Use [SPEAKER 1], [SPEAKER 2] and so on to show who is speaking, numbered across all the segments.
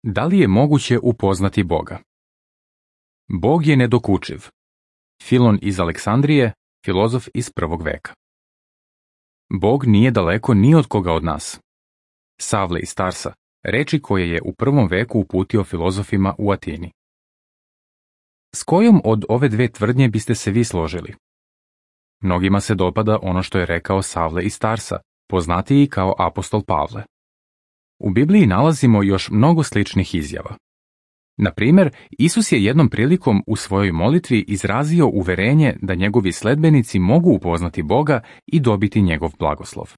[SPEAKER 1] Da li je moguće upoznati Boga? Bog je nedokučiv. Filon iz Aleksandrije, filozof iz 1. veka. Bog nije daleko ni od koga od nas. Savle iz Tarsa, reči koje je u 1. veku uputio filozofima u Atini. S kojom od ove dve tvrdnje biste se vi složili? Mnogima se dopada ono što je rekao Savle iz Tarsa, poznatiji kao apostol Pavle. U Bibliji nalazimo još mnogo sličnih izjava. Na primjer, Isus je jednom prilikom u svojoj molitvi izrazio uverenje da njegovi sledbenici mogu upoznati Boga i dobiti njegov blagoslov.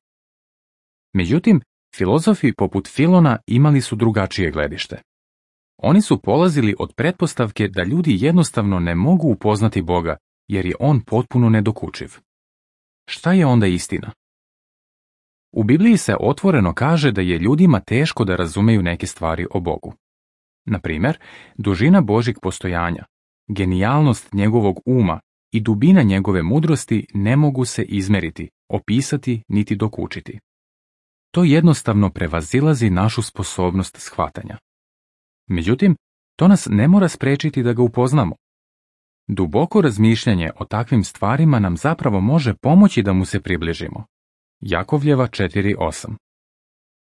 [SPEAKER 1] Međutim, filozofi poput Filona imali su drugačije gledište. Oni su polazili od pretpostavke da ljudi jednostavno ne mogu upoznati Boga, jer je on potpuno nedokučiv. Šta je onda istina? U Bibliji se otvoreno kaže da je ljudima teško da razumeju neke stvari o Bogu. Na primjer, dužina Božjeg postojanja, genijalnost njegovog uma i dubina njegove mudrosti ne mogu se izmeriti, opisati niti dokučiti. To jednostavno prevazilazi našu sposobnost shvatanja. Međutim, to nas ne mora spriječiti da ga upoznamo. Duboko razmišljanje o takvim stvarima nam zapravo može pomoći da mu se približimo. Jakovljeva 4:8.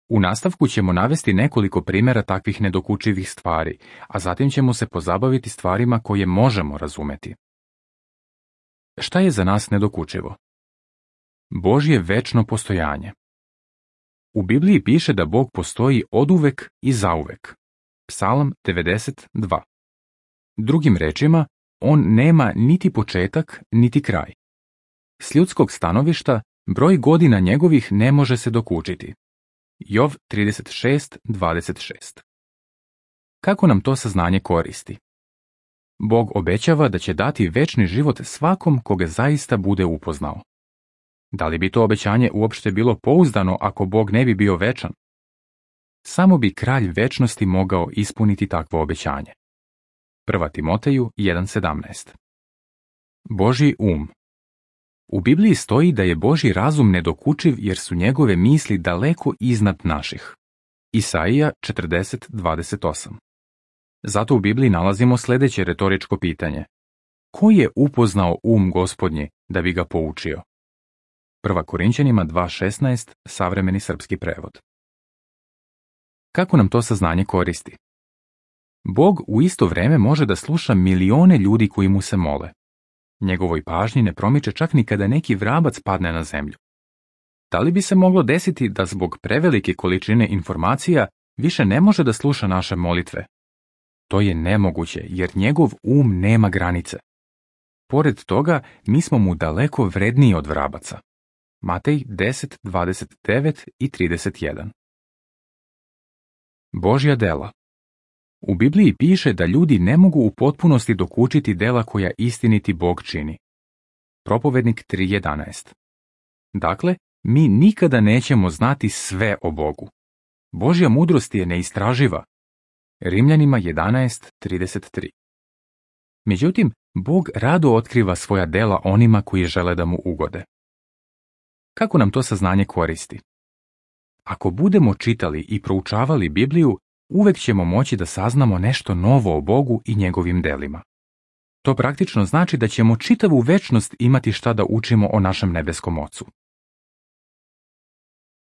[SPEAKER 1] U nastavku ćemo navesti nekoliko primjera takvih nedokučivih stvari, a zatim ćemo se pozabaviti stvarima koje možemo razumeti. Šta je za nas nedokučivo? Božje večno postojanje. U Bibliji piše da Bog postoji oduvek i zauvek. Psalam 92. Drugim rečima, on nema niti početak, niti kraj. S ljudskog stanovišta, broj godina njegovih ne može se dokučiti. Jov 36:26. Kako nam to saznanje koristi? Bog obećava da će dati večni život svakom koga zaista bude upoznao. Da li bi to obećanje uopšte bilo pouzdano ako Bog ne bi bio večan? Samo bi kralj večnosti mogao ispuniti takvo obećanje. 1. Timoteju 1:17. Božji um. U Bibliji stoji da je Božji razum nedokučiv jer su njegove misli daleko iznad naših. Isaija 40:28. Zato u Bibliji nalazimo sljedeće retoričko pitanje. Ko je upoznao Gospodnji da bi ga poučio? 1. Korinćanima 2:16, savremeni srpski prevod. Kako nam to saznanje koristi? Bog u isto vrijeme može da sluša milione ljudi koji mu se mole. Njegovoj pažnji ne promiče čak ni kada neki vrabac padne na zemlju. Da li bi se moglo desiti da zbog prevelike količine informacija više ne može da sluša naše molitve? To je nemoguće jer njegov nema granice. Pored toga, mi smo mu daleko vredniji od vrabaca. Matej 10:29 i 31. Božja dela. U Bibliji piše da ljudi ne mogu u potpunosti dokučiti dela koja istiniti Bog čini. Propovednik 3:11. Dakle, mi nikada nećemo znati sve o Bogu. Božja mudrost je neistraživa. Rimljanima 11:33. Međutim, Bog rado otkriva svoja dela onima koji žele da mu ugode. Kako nam to saznanje koristi? Ako budemo čitali i proučavali Bibliju, uvek ćemo moći da saznamo nešto novo o Bogu i njegovim delima. To praktično znači da ćemo čitavu večnost imati šta da učimo o našem nebeskom Ocu.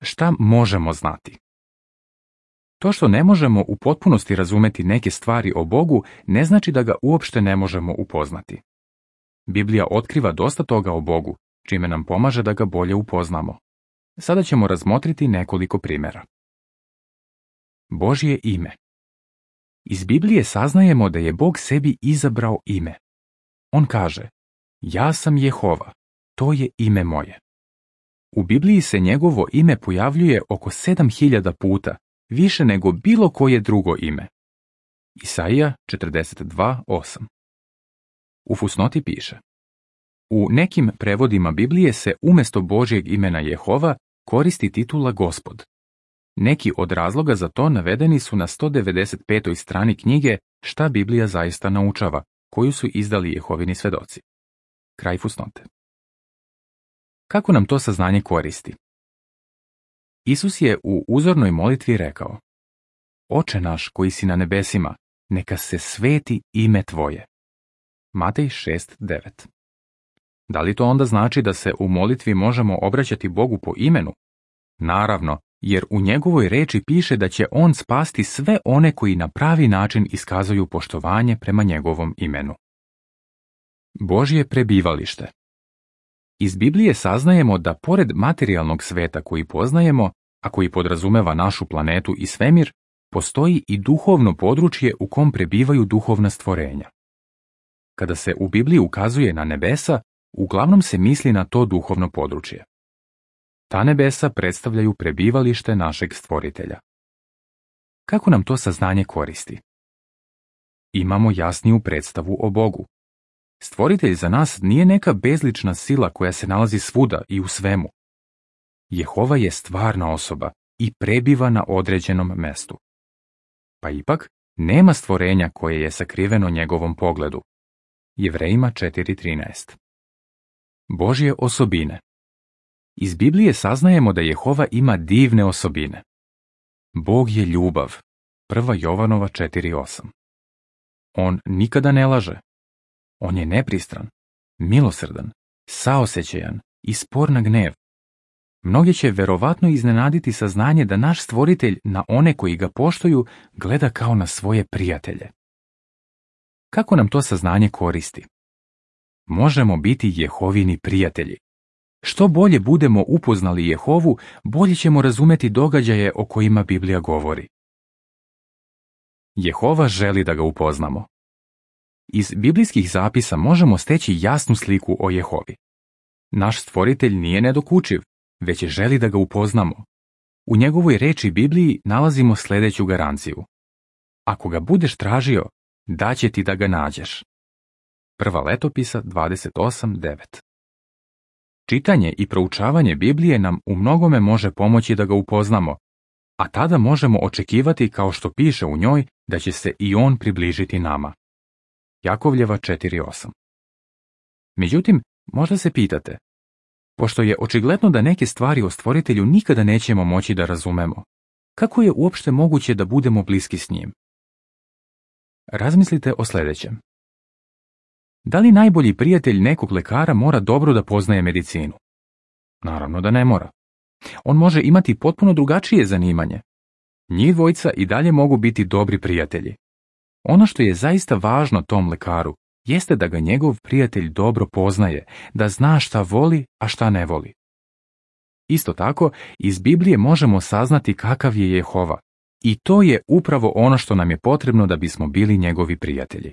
[SPEAKER 1] Šta možemo znati? To što ne možemo u potpunosti razumeti neke stvari o Bogu ne znači da ga uopšte ne možemo upoznati. Biblija otkriva dosta toga o Bogu, čime nam pomaže da ga bolje upoznamo. Sada ćemo razmotriti nekoliko primjera. Božje ime. Iz Biblije saznajemo da je Bog sebi izabrao ime. On kaže, ja sam Jehova, to je ime moje. U Bibliji se njegovo ime pojavljuje oko 7000 puta, više nego bilo koje drugo ime. Isaija 42:8. U fusnoti piše. U nekim prevodima Biblije se umjesto Božjeg imena Jehova koristi titula Gospod. Neki od razloga za to navedeni su na 195. strani knjige Šta Biblija zaista naučava, koju su izdali Jehovini svedoci. Kraj fusnote. Kako nam to saznanje koristi? Isus je u uzornoj molitvi rekao: Oče naš koji si na nebesima, neka se sveti ime tvoje. Matej 6:9. Da li to onda znači da se u molitvi možemo obraćati Bogu po imenu? Naravno, jer u njegovoj reči piše da će on spasti sve one koji na pravi način iskazuju poštovanje prema njegovom imenu. Božje prebivalište. Iz Biblije saznajemo da pored materijalnog sveta koji poznajemo, a koji podrazumeva našu planetu i svemir, postoji i duhovno područje u kom prebivaju duhovna stvorenja. Kada se u Bibliji ukazuje na nebesa, uglavnom se misli na to duhovno područje. Ta nebesa predstavljaju prebivalište našeg stvoritelja. Kako nam to saznanje koristi? Imamo jasniju predstavu o Bogu. Stvoritelj za nas nije neka bezlična sila koja se nalazi svuda i u svemu. Jehova je stvarna osoba i prebiva na određenom mestu. Pa ipak, nema stvorenja koje je sakriveno njegovom pogledu. Jevrejima 4:13. Božje osobine. Iz Biblije saznajemo da Jehova ima divne osobine. Bog je ljubav. 1. Jovanova 4:8. On nikada ne laže. On je nepristran, milosrdan, saosećajan i spor na gnev. Mnogi će verovatno iznenaditi saznanje da naš stvoritelj na one koji ga poštuju gleda kao na svoje prijatelje. Kako nam to saznanje koristi? Možemo biti Jehovini prijatelji. Što bolje budemo upoznali Jehovu, bolje ćemo razumeti događaje o kojima Biblija govori. Jehova želi da ga upoznamo. Iz biblijskih zapisa možemo steći jasnu sliku o Jehovi. Naš stvoritelj nije nedokučiv, već želi da ga upoznamo. U njegovoj reči Bibliji nalazimo sljedeću garanciju. Ako ga budeš tražio, daće ti da ga nađeš. 1. Letopisa 28:9. Čitanje i proučavanje Biblije nam u mnogome može pomoći da ga upoznamo, a tada možemo očekivati, kao što piše u njoj, da će se i on približiti nama. Jakovljeva 4:8. Međutim, možda se pitate, pošto je očigledno da neke stvari o stvoritelju nikada nećemo moći da razumemo, kako je uopšte moguće da budemo bliski s njim? Razmislite o sljedećem. Da li najbolji prijatelj nekog lekara mora dobro da poznaje medicinu? Naravno da ne mora. On može imati potpuno drugačije zanimanje. Njih dvojica i dalje mogu biti dobri prijatelji. Ono što je zaista važno tom lekaru jeste da ga njegov prijatelj dobro poznaje, da zna šta voli, a šta ne voli. Isto tako, iz Biblije možemo saznati kakav je Jehova, i to je upravo ono što nam je potrebno da bismo bili njegovi prijatelji.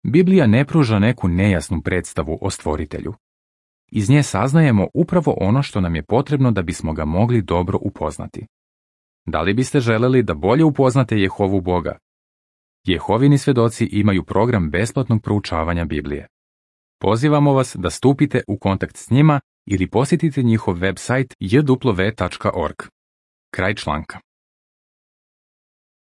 [SPEAKER 1] Biblija ne pruža neku nejasnu predstavu o stvoritelju. Iz nje saznajemo upravo ono što nam je potrebno da bismo ga mogli dobro upoznati. Da li biste želeli da bolje upoznate Jehovu Boga? Jehovini svedoci imaju program besplatnog proučavanja Biblije. Pozivamo vas da stupite u kontakt s njima ili posjetite njihov web sajt jw.org. Kraj članka.